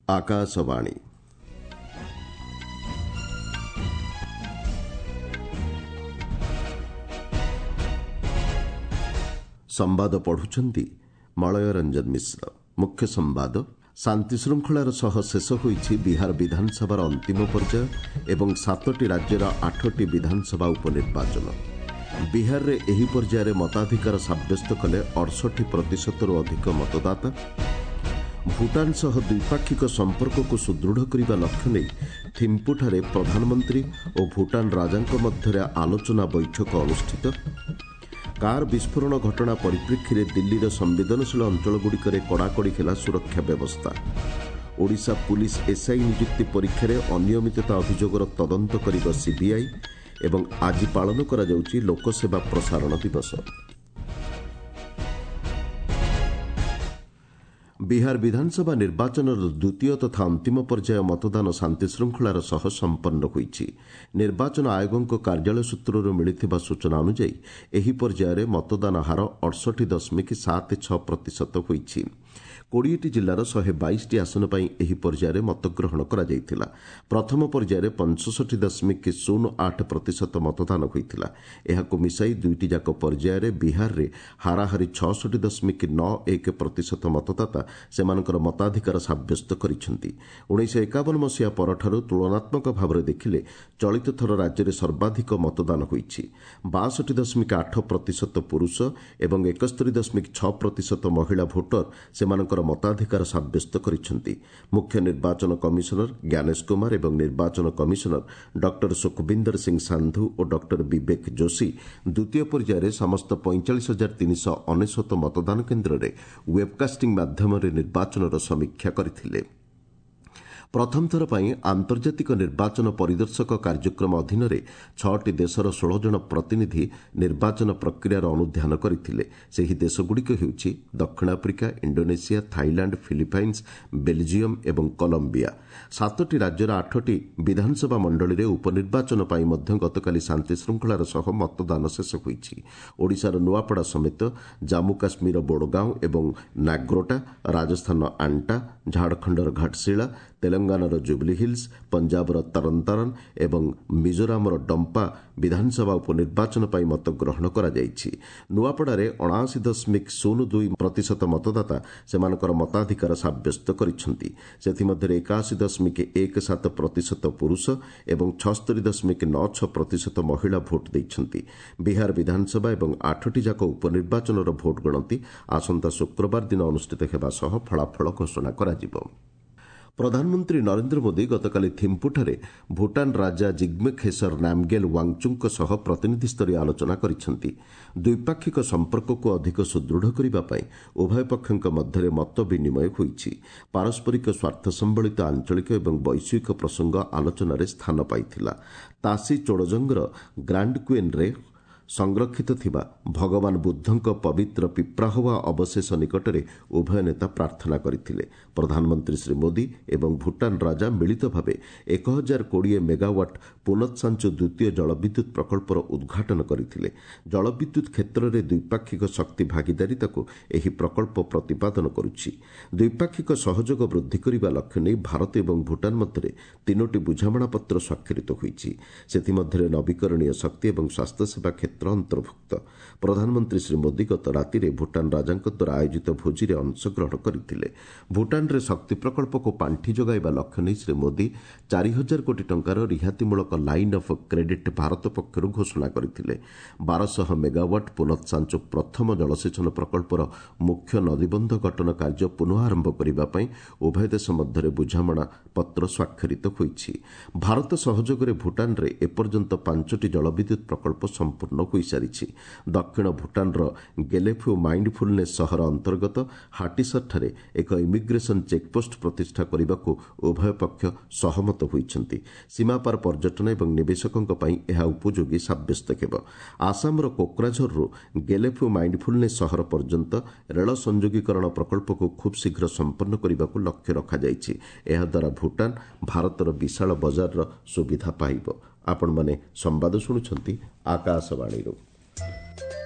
ଆକାଶବାଣୀ। ସମ୍ବାଦ ପଢୁଛନ୍ତି ମଳୟ ରଞ୍ଜନ ମିଶ୍ର। ମୁଖ୍ୟ ସମ୍ବାଦ। ଶାନ୍ତିଶୃଙ୍ଖଳାର ସହ ଶେଷ ହୋଇଛି ବିହାର ବିଧାନସଭାର ଅନ୍ତିମ ପର୍ଯ୍ୟାୟ ଏବଂ 7ଟି ରାଜ୍ୟର 8ଟି ବିଧାନସଭା ଉପନିର୍ବାଚନ। ବିହାରରେ ଏହି ପର୍ଯ୍ୟାୟରେ ମତାଧିକାର ସାବ୍ୟସ୍ତ କଲେ 68 ପ୍ରତିଶତରୁ ଅଧିକ ମତଦାତା। ଭୁଟାନ ସହ ଦ୍ୱିପାକ୍ଷିକ ସମ୍ପର୍କକୁ ସୁଦୃଢ଼ କରିବା ଲକ୍ଷ୍ୟ ନେଇ ଥିମ୍ପୁଠାରେ ପ୍ରଧାନମନ୍ତ୍ରୀ ଓ ଭୁଟାନ ରାଜାଙ୍କ ମଧ୍ୟରେ ଆଲୋଚନା ବୈଠକ ଅନୁଷ୍ଠିତ। କାର୍ ବିସ୍ଫୋରଣ ଘଟଣା ପରିପ୍ରେକ୍ଷୀରେ ଦିଲ୍ଲୀର ସମ୍ବେଦନଶୀଳ ଅଞ୍ଚଳଗୁଡ଼ିକରେ କଡ଼ାକଡ଼ି ହେଲା ସୁରକ୍ଷା ବ୍ୟବସ୍ଥା। ଓଡ଼ିଶା ପୁଲିସ ଏସ୍ଆଇ ନିଯୁକ୍ତି ପରୀକ୍ଷାରେ ଅନିୟମିତତା ଅଭିଯୋଗର ତଦନ୍ତ କରିବ ସିବିଆଇ। ଏବଂ ଆଜି ପାଳନ କରାଯାଉଛି ଲୋକସେବା ପ୍ରସାରଣ ଦିବସ। ବିହାର ବିଧାନସଭା ନିର୍ବାଚନର ଦ୍ୱିତୀୟ ତଥା ଅନ୍ତିମ ପର୍ଯ୍ୟାୟ ମତଦାନ ଶାନ୍ତିଶୃଙ୍ଖଳାର ସହ ସମ୍ପନ୍ନ ହୋଇଛି। ନିର୍ବାଚନ ଆୟୋଗଙ୍କ କାର୍ଯ୍ୟାଳୟ ସୂତ୍ରରୁ ମିଳିଥିବା ସୂଚନା ଅନୁଯାୟୀ ଏହି ପର୍ଯ୍ୟାୟରେ ମତଦାନ ହାର 68.76 ପ୍ରତିଶତ ହୋଇଛି। 20ଟି ଜିଲ୍ଲାର 122ଟି ଆସନ ପାଇଁ ଏହି ପର୍ଯ୍ୟାୟରେ ମତଗ୍ରହଣ କରାଯାଇଥିଲା। ପ୍ରଥମ ପର୍ଯ୍ୟାୟରେ 65.08 ପ୍ରତିଶତ ମତଦାନ ହୋଇଥିଲା। ଏହାକୁ ମିଶାଇ ଦୁଇଟି ଯାକ ପର୍ଯ୍ୟାୟରେ ବିହାରରେ ହାରାହାରି 66.91 ପ୍ରତିଶତ ମତଦାତା ସେମାନଙ୍କର ମତାଧିକାର ସାବ୍ୟସ୍ତ କରିଛନ୍ତି। 1951 ମସିହା ପରଠାରୁ ତୁଳନାତ୍ମକ ଭାବରେ ଦେଖିଲେ ଚଳିତ ଥର ରାଜ୍ୟରେ ସର୍ବାଧିକ ମତଦାନ ହୋଇଛି। 62.8 ପ୍ରତିଶତ ପୁରୁଷ ଏବଂ 71.6 ପ୍ରତିଶତ ମହିଳା ଭୋଟର ସେମାନଙ୍କର ମତାଧିକାର ସାବ୍ୟସ୍ତ କରିଛନ୍ତି। ମୁଖ୍ୟ ନିର୍ବାଚନ କମିଶନର ଜ୍ଞାନେଶ କୁମାର ଏବଂ ନିର୍ବାଚନ କମିଶନର ଡକ୍ଟର ସୁଖବିନ୍ଦର ସିଂ ସାନ୍ଧୁ ଓ ଡକ୍ଟର ବିବେକ ଯୋଶୀ ଦ୍ୱିତୀୟ ପର୍ଯ୍ୟାୟରେ ସମସ୍ତ 45,399 ମତଦାନ କେନ୍ଦ୍ରରେ ୱେବ୍କାଷ୍ଟିଂ ମାଧ୍ୟମରେ ନିର୍ବାଚନର ସମୀକ୍ଷା କରିଥିଲେ। ପ୍ରଥମ ଥର ପାଇଁ ଆନ୍ତର୍ଜାତିକ ନିର୍ବାଚନ ପରିଦର୍ଶକ କାର୍ଯ୍ୟକ୍ରମ ଅଧୀନରେ 6ଟି ଦେଶର 16 ଜଣ ପ୍ରତିନିଧି ନିର୍ବାଚନ ପ୍ରକ୍ରିୟାର ଅନୁଧ୍ୟାନ କରିଥିଲେ। ସେହି ଦେଶଗୁଡ଼ିକ ହେଉଛି ଦକ୍ଷିଣ Africa, Indonesia, Thailand, Philippines, Belgium ଏବଂ କଲମ୍ବିଆ। 7ଟି ରାଜ୍ୟର 8ଟି ବିଧାନସଭା ମଣ୍ଡଳୀରେ ଉପନିର୍ବାଚନ ପାଇଁ ମଧ୍ୟ ଗତକାଲି ଶାନ୍ତିଶୃଙ୍ଖଳାର ସହ ମତଦାନ ଶେଷ ହୋଇଛି। ଓଡ଼ିଶାର ନୂଆପଡ଼ା ସମେତ ଜାମ୍ମୁ କାଶ୍ମୀରର ବୋଡ଼ଗାଓଁ ଏବଂ ନାଗ୍ରୋଟା, ରାଜସ୍ଥାନର ଆଣ୍ଟା, ଝାଡ଼ଖଣ୍ଡର ଘାଟଶିଳା, ତେଲଙ୍ଗାନାର ଜୁବଲି ହିଲ୍ସ, ପଞ୍ଜାବର ତରନତାରନ ଏବଂ ମିଜୋରାମର ଡମ୍ପା ବିଧାନସଭା ଉପନିର୍ବାଚନ ପାଇଁ ମତଗ୍ରହଣ କରାଯାଇଛି। ନୂଆପଡ଼ାରେ 79.02 ପ୍ରତିଶତ ମତଦାତା ସେମାନଙ୍କର ମତାଧିକାର ସାବ୍ୟସ୍ତ କରିଛନ୍ତି। ସେଥିମଧ୍ୟରେ 81.17 ପ୍ରତିଶତ ପୁରୁଷ ଏବଂ 76.96 ପ୍ରତିଶତ ମହିଳା ଭୋଟ୍ ଦେଇଛନ୍ତି। ବିହାର ବିଧାନସଭା ଏବଂ 8ଟି ଯାକ ଉପନିର୍ବାଚନର ଭୋଟ୍ ଗଣତି ଆସନ୍ତା ଶୁକ୍ରବାର ଦିନ ଅନୁଷ୍ଠିତ ହେବା ସହ ଫଳାଫଳ ଘୋଷଣା କରାଯିବ। ପ୍ରଧାନମନ୍ତ୍ରୀ ନରେନ୍ଦ୍ର ମୋଦି ଗତକାଲି ଥିମ୍ପୁଠାରେ ଭୁଟାନ ରାଜା ଜିଗ୍ମେ ଖେସର ନାମ୍ଗେଲ୍ ୱାଙ୍ଗଚୁକ୍ଙ୍କ ସହ ପ୍ରତିନିଧିସ୍ତରୀୟ ଆଲୋଚନା କରିଛନ୍ତି। ଦ୍ୱିପାକ୍ଷିକ ସମ୍ପର୍କକୁ ଅଧିକ ସୁଦୃଢ଼ କରିବା ପାଇଁ ଉଭୟ ପକ୍ଷଙ୍କ ମଧ୍ୟରେ ମତ ବିନିମୟ ହୋଇଛି। ପାରସ୍ପରିକ ସ୍ୱାର୍ଥ ସମ୍ବଳିତ ଆଞ୍ଚଳିକ ଏବଂ ବୈଶ୍ୱିକ ପ୍ରସଙ୍ଗ ଆଲୋଚନାରେ ସ୍ଥାନ ପାଇଥିଲା। ତାସି ଚୋଡ଼ଜଙ୍ଗର ଗ୍ରାଣ୍ଡ କୁଇନ୍ରେ ସଂରକ୍ଷିତ ଥିବା ଭଗବାନ ବୁଦ୍ଧଙ୍କ ପବିତ୍ର ପିପ୍ରାହୱା ଅବଶେଷ ନିକଟରେ ଉଭୟ ନେତା ପ୍ରାର୍ଥନା କରିଥିଲେ। ପ୍ରଧାନମନ୍ତ୍ରୀ ଶ୍ରୀ ମୋଦି ଏବଂ ଭୁଟାନ ରାଜା ମିଳିତ ଭାବେ 1020 ମେଗାୱାଟ୍ ପୁନଃସାଞ୍ଚୁ ଦ୍ୱିତୀୟ ଜଳବିଦ୍ୟୁତ୍ ପ୍ରକଳ୍ପର ଉଦ୍ଘାଟନ କରିଥିଲେ। ଜଳବିଦ୍ୟୁତ୍ କ୍ଷେତ୍ରରେ ଦ୍ୱିପାକ୍ଷିକ ଶକ୍ତି ଭାଗିଦାରିତାକୁ ଏହି ପ୍ରକଳ୍ପ ପ୍ରତିପାଦନ କରୁଛି। ଦ୍ୱିପାକ୍ଷିକ ସହଯୋଗ ବୃଦ୍ଧି କରିବା ଲକ୍ଷ୍ୟ ନେଇ ଭାରତ ଏବଂ ଭୁଟାନ ମଧ୍ୟରେ 3ଟି ବୁଝାମଣାପତ୍ର ସ୍ୱାକ୍ଷରିତ ହୋଇଛି। ସେଥିମଧ୍ୟରେ ନବୀକରଣୀୟ ଶକ୍ତି ଏବଂ ସ୍ୱାସ୍ଥ୍ୟସେବା କ୍ଷେତ୍ର ଅନ୍ତର୍ଭୁକ୍ତ। ପ୍ରଧାନମନ୍ତ୍ରୀ ଶ୍ରୀ ମୋଦି ଗତ ରାତିରେ ଭୁଟାନ ରାଜାଙ୍କ ଦ୍ୱାରା ଆୟୋଜିତ ଭୋଜିରେ ଅଂଶଗ୍ରହଣ କରିଥିଲେ। ଭୁଟାନରେ ଶକ୍ତି ପ୍ରକଳ୍ପକୁ ପାଣ୍ଠି ଯୋଗାଇବା ଲକ୍ଷ୍ୟ ନେଇ ଶ୍ରୀ ମୋଦି 4000 କୋଟି ଟଙ୍କାର ରିହାତିମୂଳକ ଲାଇନ୍ ଅଫ୍ କ୍ରେଡିଟ୍ ଭାରତ ପକ୍ଷରୁ ଘୋଷଣା କରିଥିଲେ। 1200 ମେଗାୱାଟ୍ ପୁନଃସାଞ୍ଚୁ ପ୍ରଥମ ଜଳସେଚନ ପ୍ରକଳ୍ପର ମୁଖ୍ୟ ନଦୀବନ୍ଧ ଗଠନ କାର୍ଯ୍ୟ ପୁନଃ ଆରମ୍ଭ କରିବା ପାଇଁ ଉଭୟ ଦେଶ ମଧ୍ୟରେ ବୁଝାମଣା ପତ୍ର ସ୍ୱାକ୍ଷରିତ ହୋଇଛି। ଭାରତ ସହଯୋଗରେ ଭୁଟାନରେ ଏପର୍ଯ୍ୟନ୍ତ 5ଟି ଜଳବିଦ୍ୟୁତ୍ ପ୍ରକଳ୍ପ ସମ୍ପୂର୍ଣ୍ଣ ହୋଇସାରିଛି। ଦକ୍ଷିଣ ଭୁଟାନର ଗେଲେଫୁ ମାଇଣ୍ଡଫୁଲନେସ୍ ସହର ଅନ୍ତର୍ଗତ ହାଟିସରଠାରେ ଏକ ଇମିଗ୍ରେସନ୍ ଚେକ୍ପୋଷ୍ଟ ପ୍ରତିଷ୍ଠା କରିବାକୁ ଉଭୟ ପକ୍ଷ ସହମତ ହୋଇଛନ୍ତି। ସୀମାପାର ପର୍ଯ୍ୟଟନ ଏବଂ ନିବେଶକଙ୍କ ପାଇଁ ଏହା ଉପଯୋଗୀ ସାବ୍ୟସ୍ତ ହେବ। ଆସାମର କୋକ୍ରାଝରରୁ ଗେଲେଫୁ ମାଇଣ୍ଡଫୁଲନେସ୍ ସହର ପର୍ଯ୍ୟନ୍ତ ରେଳ ସଂଯୋଗୀକରଣ ପ୍ରକଳ୍ପକୁ ଖୁବ୍ ଶୀଘ୍ର ସମ୍ପନ୍ନ କରିବାକୁ ଲକ୍ଷ୍ୟ ରଖାଯାଇଛି। ଏହାଦ୍ୱାରା ଭୁଟାନ ଭାରତର ବିଶାଳ ବଜାରର ସୁବିଧା ପାଇବ। ଆପଣମାନେ ସମ୍ବାଦ ଶୁଣୁଛନ୍ତି ଆକାଶବାଣୀରୁ।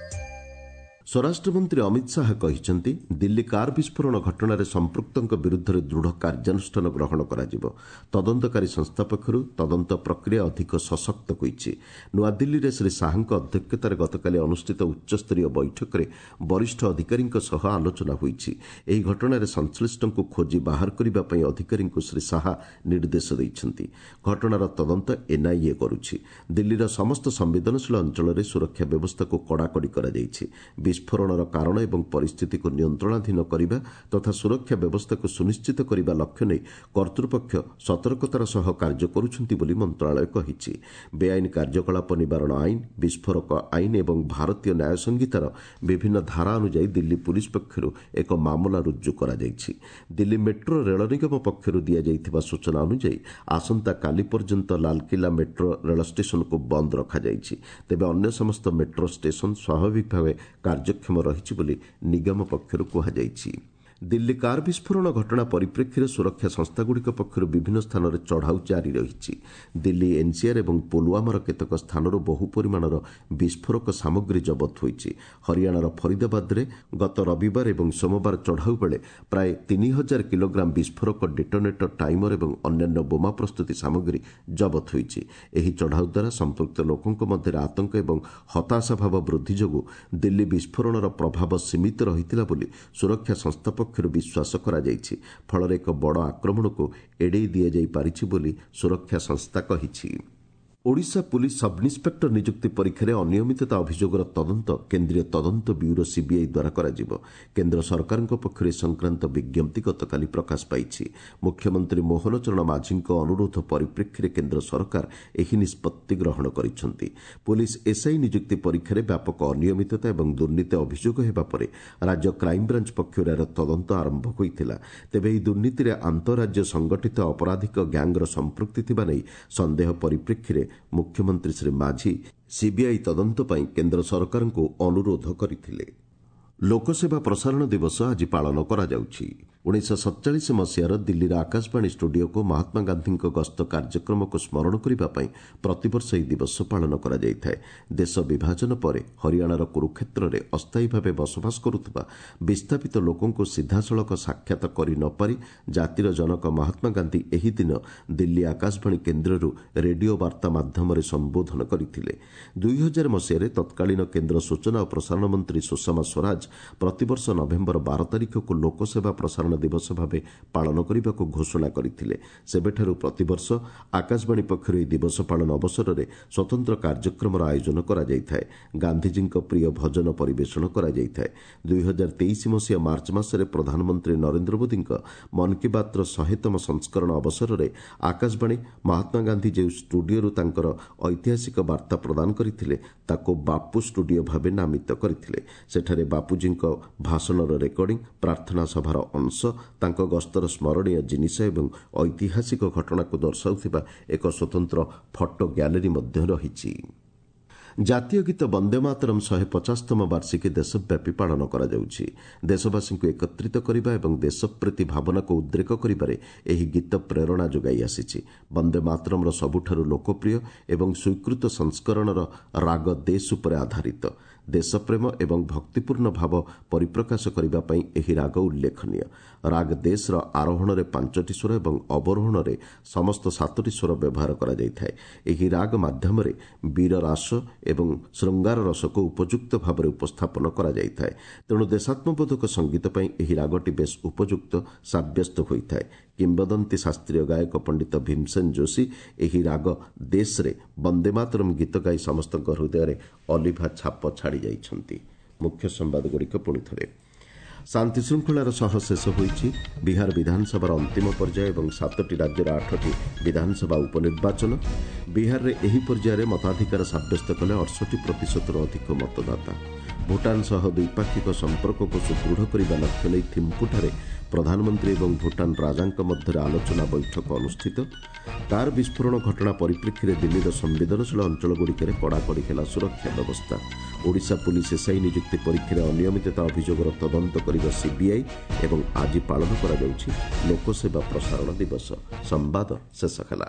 ସ୍ୱରାଷ୍ଟ୍ରମନ୍ତ୍ରୀ ଅମିତ ଶାହା କହିଛନ୍ତି, ଦିଲ୍ଲୀ କାର୍ ବିସ୍ଫୋରଣ ଘଟଣାରେ ସମ୍ପୃକ୍ତଙ୍କ ବିରୁଦ୍ଧରେ ଦୃଢ଼ କାର୍ଯ୍ୟାନୁଷ୍ଠାନ ଗ୍ରହଣ କରାଯିବ। ତଦନ୍ତକାରୀ ସଂସ୍ଥା ପକ୍ଷରୁ ତଦନ୍ତ ପ୍ରକ୍ରିୟା ଅଧିକ ସଶକ୍ତ ହୋଇଛି। ନୂଆଦିଲ୍ଲୀରେ ଶ୍ରୀ ଶାହାଙ୍କ ଅଧ୍ୟକ୍ଷତାରେ ଗତକାଲି ଅନୁଷ୍ଠିତ ଉଚ୍ଚସ୍ତରୀୟ ବୈଠକରେ ବରିଷ୍ଠ ଅଧିକାରୀଙ୍କ ସହ ଆଲୋଚନା ହୋଇଛି। ଏହି ଘଟଣାରେ ସଂଶ୍ଳିଷ୍ଟଙ୍କୁ ଖୋଜି ବାହାର କରିବା ପାଇଁ ଅଧିକାରୀଙ୍କୁ ଶ୍ରୀ ଶାହା ନିର୍ଦ୍ଦେଶ ଦେଇଛନ୍ତି। ଘଟଣାର ତଦନ୍ତ ଏନ୍ଆଇଏ କରୁଛି। ଦିଲ୍ଲୀର ସମସ୍ତ ସମ୍ବେଦନଶୀଳ ଅଞ୍ଚଳରେ ସୁରକ୍ଷା ବ୍ୟବସ୍ଥାକୁ କଡ଼ାକଡ଼ି କରାଯାଇଛି। ବିସ୍ଫୋରଣର କାରଣ ଏବଂ ପରିସ୍ଥିତିକୁ ନିୟନ୍ତ୍ରଣାଧୀନ କରିବା ତଥା ସୁରକ୍ଷା ବ୍ୟବସ୍ଥାକୁ ସୁନିଶ୍ଚିତ କରିବା ଲକ୍ଷ୍ୟ ନେଇ କର୍ତ୍ତୃପକ୍ଷ ସତର୍କତାର ସହ କାର୍ଯ୍ୟ କରୁଛନ୍ତି ବୋଲି ମନ୍ତ୍ରଣାଳୟ କହିଛି। ବେଆଇନ କାର୍ଯ୍ୟକଳାପ ନିବାରଣ ଆଇନ, ବିସ୍ଫୋରକ ଆଇନ ଏବଂ ଭାରତୀୟ ନ୍ୟାୟ ସଂହିତାର ବିଭିନ୍ନ ଧାରା ଅନୁଯାୟୀ ଦିଲ୍ଲୀ ପୁଲିସ୍ ପକ୍ଷରୁ ଏକ ମାମଲା ରୁଜୁ କରାଯାଇଛି। ଦିଲ୍ଲୀ ମେଟ୍ରୋ ରେଳ ନିଗମ ପକ୍ଷରୁ ଦିଆଯାଇଥିବା ସୂଚନା ଅନୁଯାୟୀ ଆସନ୍ତାକାଲି ପର୍ଯ୍ୟନ୍ତ ଲାଲକିଲ୍ଲା ମେଟ୍ରୋ ରେଳ ଷ୍ଟେସନକୁ ବନ୍ଦ ରଖାଯାଇଛି। ତେବେ ଅନ୍ୟ ସମସ୍ତ ମେଟ୍ରୋ ଷ୍ଟେସନ ସ୍ୱାଭାବିକ ଭାବେ କାର୍ଯ୍ୟକ୍ଷମ ରହିଛି ବୋଲି ନିଗମ ପକ୍ଷରୁ କୁହାଯାଇଛି। ଦିଲ୍ଲୀ କାର୍ ବିସ୍ଫୋରଣ ଘଟଣା ପରିପ୍ରେକ୍ଷୀରେ ସୁରକ୍ଷା ସଂସ୍ଥାଗୁଡ଼ିକ ପକ୍ଷରୁ ବିଭିନ୍ନ ସ୍ଥାନରେ ଚଢ଼ାଉ ଜାରି ରହିଛି। ଦିଲ୍ଲୀ ଏନ୍ସିଆର୍ ଏବଂ ପୁଲୱାମାର କେତେକ ସ୍ଥାନରୁ ବହୁ ପରିମାଣର ବିସ୍ଫୋରକ ସାମଗ୍ରୀ ଜବତ ହୋଇଛି। ହରିୟାଣାର ଫରିଦାବାଦରେ ଗତ ରବିବାର ଏବଂ ସୋମବାର ଚଢ଼ାଉ ବେଳେ ପ୍ରାୟ 3000 କିଲୋଗ୍ରାମ ବିସ୍ଫୋରକ, ଡେଟୋନେଟର, ଟାଇମର ଏବଂ ଅନ୍ୟାନ୍ୟ ବୋମା ପ୍ରସ୍ତୁତି ସାମଗ୍ରୀ ଜବତ ହୋଇଛି। ଏହି ଚଢ଼ାଉ ଦ୍ୱାରା ସମ୍ପୃକ୍ତ ଲୋକଙ୍କ ମଧ୍ୟରେ ଆତଙ୍କ ଏବଂ ହତାଶାଭାବ ବୃଦ୍ଧି ଯୋଗୁଁ ଦିଲ୍ଲୀ ବିସ୍ଫୋରଣର ପ୍ରଭାବ ସୀମିତ ରହିଥିଲା ବୋଲି ସୁରକ୍ଷା ସଂସ୍ଥା ପକ୍ଷରୁ ବିଶ୍ୱାସ କରାଯାଇଛି। ଫଳରେ ଏକ ବଡ଼ ଆକ୍ରମଣକୁ ଏଡ଼େଇ ଦିଆଯାଇ ପାରିଛି ବୋଲି ସୁରକ୍ଷା ସଂସ୍ଥା କହିଛି। ଓଡ଼ିଶା ପୁଲିସ୍ ସବ୍ଇନ୍ସପେକ୍ଟର ନିଯୁକ୍ତି ପରୀକ୍ଷାରେ ଅନିୟମିତତା ଅଭିଯୋଗର ତଦନ୍ତ କେନ୍ଦ୍ରୀୟ ତଦନ୍ତ ବ୍ୟୁରୋ ସିବିଆଇ ଦ୍ୱାରା କରାଯିବ। କେନ୍ଦ୍ର ସରକାରଙ୍କ ପକ୍ଷରୁ ଏ ସଂକ୍ରାନ୍ତ ବିଜ୍ଞପ୍ତି ଗତକାଲି ପ୍ରକାଶ ପାଇଛି। ମୁଖ୍ୟମନ୍ତ୍ରୀ ମୋହନ ଚରଣ ମାଝୀଙ୍କ ଅନୁରୋଧ ପରିପ୍ରେକ୍ଷୀରେ କେନ୍ଦ୍ର ସରକାର ଏହି ନିଷ୍ପତ୍ତି ଗ୍ରହଣ କରିଛନ୍ତି। ପୁଲିସ୍ ଏସ୍ଆଇ ନିଯୁକ୍ତି ପରୀକ୍ଷାରେ ବ୍ୟାପକ ଅନିୟମିତତା ଏବଂ ଦୁର୍ନୀତି ଅଭିଯୋଗ ହେବା ପରେ ରାଜ୍ୟ କ୍ରାଇମବ୍ରାଞ୍ଚ ପକ୍ଷରୁ ଏହାର ତଦନ୍ତ ଆରମ୍ଭ ହୋଇଥିଲା। ତେବେ ଏହି ଦୁର୍ନୀତିରେ ଆନ୍ତଃରାଜ୍ୟ ସଂଗଠିତ ଅପରାଧିକ ଗ୍ୟାଙ୍ଗର ସମ୍ପୃକ୍ତି ଥିବା ନେଇ ସନ୍ଦେହ ପରିପ୍ରେକ୍ଷୀରେ ମୁଖ୍ୟମନ୍ତ୍ରୀ ଶ୍ରୀ ମାଝୀ ସିବିଆଇ ତଦନ୍ତ ପାଇଁ କେନ୍ଦ୍ର ସରକାରଙ୍କୁ ଅନୁରୋଧ କରିଥିଲେ। ଲୋକସେବା ପ୍ରସାରଣ ଦିବସ ଆଜି ପାଳନ କରାଯାଉଛି। 1947 ମସିହାର ଦିଲ୍ଲୀର ଆକାଶବାଣୀ ଷ୍ଟୁଡିଓକୁ ମହାତ୍ମା ଗାନ୍ଧୀଙ୍କ ଗସ୍ତ କାର୍ଯ୍ୟକ୍ରମକୁ ସ୍ମରଣ କରିବା ପାଇଁ ପ୍ରତିବର୍ଷ ଏହି ଦିବସ ପାଳନ କରାଯାଇଥାଏ। ଦେଶ ବିଭାଜନ ପରେ ହରିୟାଣାର କୁରୁକ୍ଷେତ୍ରରେ ଅସ୍ଥାୟୀ ଭାବେ ବସବାସ କରୁଥିବା ବିସ୍ଥାପିତ ଲୋକଙ୍କୁ ସିଧାସଳଖ ସାକ୍ଷାତ କରି ନପାରି ଜାତିର ଜନକ ମହାତ୍ମା ଗାନ୍ଧୀ ଏହି ଦିନ ଦିଲ୍ଲୀ ଆକାଶବାଣୀ କେନ୍ଦ୍ରରୁ ରେଡିଓ ବାର୍ତ୍ତା ମାଧ୍ୟମରେ ସମ୍ବୋଧନ କରିଥିଲେ। 2000 ମସିହାରେ ତତ୍କାଳୀନ କେନ୍ଦ୍ର ସୂଚନା ଓ ପ୍ରସାରଣ ମନ୍ତ୍ରୀ ସୁଷମା ସ୍ୱରାଜ ପ୍ରତିବର୍ଷ ନଭେମ୍ବର 12 ତାରିଖକୁ ଲୋକସେବା ପ୍ରସାରଣ ଦିବସ ଭାବେ ପାଳନ କରିବାକୁ ଘୋଷଣା କରିଥିଲେ। ସେବେଠାରୁ ପ୍ରତିବର୍ଷ ଆକାଶବାଣୀ ପକ୍ଷରୁ ଏହି ଦିବସ ପାଳନ ଅବସରରେ ସ୍ୱତନ୍ତ୍ର କାର୍ଯ୍ୟକ୍ରମର ଆୟୋଜନ କରାଯାଇଥାଏ। ଗାନ୍ଧିଜୀଙ୍କ ପ୍ରିୟ ଭଜନ ପରିବେଷଣ କରାଯାଇଥାଏ। 2023 ମସିହା ମାର୍ଚ୍ଚ ମାସରେ ପ୍ରଧାନମନ୍ତ୍ରୀ ନରେନ୍ଦ୍ର ମୋଦିଙ୍କ ମନ୍ କି ବାତ୍ର 100ତମ ସଂସ୍କରଣ ଅବସରରେ ଆକାଶବାଣୀ ମହାତ୍ମା ଗାନ୍ଧୀ ଯେଉଁ ଷ୍ଟୁଡିଓରୁ ତାଙ୍କର ଐତିହାସିକ ବାର୍ତ୍ତା ପ୍ରଦାନ କରିଥିଲେ ତାକୁ ବାପୁ ଷ୍ଟୁଡିଓ ଭାବେ ନାମିତ କରିଥିଲେ। ସେଠାରେ ବାପୁଜୀଙ୍କ ଭାଷଣର ରେକର୍ଡିଂ, ପ୍ରାର୍ଥନା ସଭାର ଅଂଶ, ତାଙ୍କ ଗସ୍ତର ସ୍ମରଣୀୟ ଜିନିଷ ଏବଂ ଐତିହାସିକ ଘଟଣାକୁ ଦର୍ଶାଉଥିବା ଏକ ସ୍ୱତନ୍ତ୍ର ଫଟୋ ଗ୍ୟାଲେରୀ ମଧ୍ୟ ରହିଛି। ଜାତୀୟ ଗୀତ ବନ୍ଦେ ମାତରମ୍ 150ତମ ବାର୍ଷିକୀ ଦେଶବ୍ୟାପୀ ପାଳନ କରାଯାଉଛି। ଦେଶବାସୀଙ୍କୁ ଏକତ୍ରିତ କରିବା ଏବଂ ଦେଶପ୍ରୀତି ଭାବନାକୁ ଉଦ୍ରେକ କରିବାରେ ଏହି ଗୀତ ପ୍ରେରଣା ଯୋଗାଇ ଆସିଛି। ବନ୍ଦେ ମାତରମ୍ର ସବୁଠାରୁ ଲୋକପ୍ରିୟ ଏବଂ ସ୍ୱୀକୃତ ସଂସ୍କରଣର ରାଗ ଦେଶ ଉପରେ ଆଧାରିତ। ଦେଶପ୍ରେମ ଏବଂ ଭକ୍ତିପୂର୍ଣ୍ଣ ଭାବ ପରିପ୍ରକାଶ କରିବା ପାଇଁ ଏହି ରାଗ ଉଲ୍ଲେଖନୀୟ। ରାଗ ଦେଶର ଆରୋହଣରେ 5ଟି ସ୍ୱର ଏବଂ ଅବରୋହଣରେ ସମସ୍ତ 7ଟି ସ୍ୱର ବ୍ୟବହାର କରାଯାଇଥାଏ। ଏହି ରାଗ ମାଧ୍ୟମରେ ବୀର ରାସ ଏବଂ ଶୃଙ୍ଗାର ରସକୁ ଉପଯୁକ୍ତ ଭାବରେ ଉପସ୍ଥାପନ କରାଯାଇଥାଏ। ତେଣୁ ଦେଶାତ୍ମବୋଧକ ସଙ୍ଗୀତ ପାଇଁ ଏହି ରାଗଟି ବେଶ୍ ଉପଯୁକ୍ତ ସାବ୍ୟସ୍ତ ହୋଇଥାଏ। କିମ୍ବଦନ୍ତୀ ଶାସ୍ତ୍ରୀୟ ଗାୟକ ପଣ୍ଡିତ ଭୀମସେନ ଯୋଶୀ ଏହି ରାଗ ଦେଶରେ ବନ୍ଦେ ମାତରମ୍ ଗୀତ ଗାଇ ସମସ୍ତଙ୍କ ହୃଦୟରେ ଅଲିଭା ଛାପ ଛାଡ଼ି ଯାଇଛନ୍ତି। ମୁଖ୍ୟ ସମ୍ବାଦଗୁଡ଼ିକ ପୁଣି ଥରେ। ଶାନ୍ତିଶୃଙ୍ଖଳାର ସହ ଶେଷ ହୋଇଛି ବିହାର ବିଧାନସଭାର ଅନ୍ତିମ ପର୍ଯ୍ୟାୟ ଏବଂ 7ଟି ରାଜ୍ୟର 8ଟି ବିଧାନସଭା ଉପନିର୍ବାଚନ। ବିହାରରେ ଏହି ପର୍ଯ୍ୟାୟରେ ମତାଧିକାର ସାବ୍ୟସ୍ତ କଲେ 68%ରୁ ଅଧିକ ମତଦାତା। ଭୁଟାନ ସହ ଦ୍ୱିପାକ୍ଷିକ ସମ୍ପର୍କକୁ ସୁଦୃଢ଼ କରିବା ଲକ୍ଷ୍ୟ ନେଇ ଥିମ୍ପୁଠାରେ ପ୍ରଧାନମନ୍ତ୍ରୀ ଏବଂ ଭୁଟାନ ରାଜାଙ୍କ ମଧ୍ୟରେ ଆଲୋଚନା ବୈଠକ ଅନୁଷ୍ଠିତ। କାର୍ ବିସ୍ଫୋରଣ ଘଟଣା ପରିପ୍ରେକ୍ଷୀରେ ଦିଲ୍ଲୀର ସମ୍ବେଦନଶୀଳ ଅଞ୍ଚଳଗୁଡ଼ିକରେ କଡ଼ାକଡ଼ି ହେଲା ସୁରକ୍ଷା ବ୍ୟବସ୍ଥା। ଓଡ଼ିଶା ପୁଲିସ୍ ଏସ୍ଆଇ ନିଯୁକ୍ତି ପରୀକ୍ଷାରେ ଅନିୟମିତତା ଅଭିଯୋଗର ତଦନ୍ତ କରିବ ସିବିଆଇ ଏବଂ ଆଜି ପାଳନ କରାଯାଉଛି ଲୋକସେବା ପ୍ରସାରଣ ଦିବସ। ସମ୍ବାଦ ଶେଷ ହେଲା।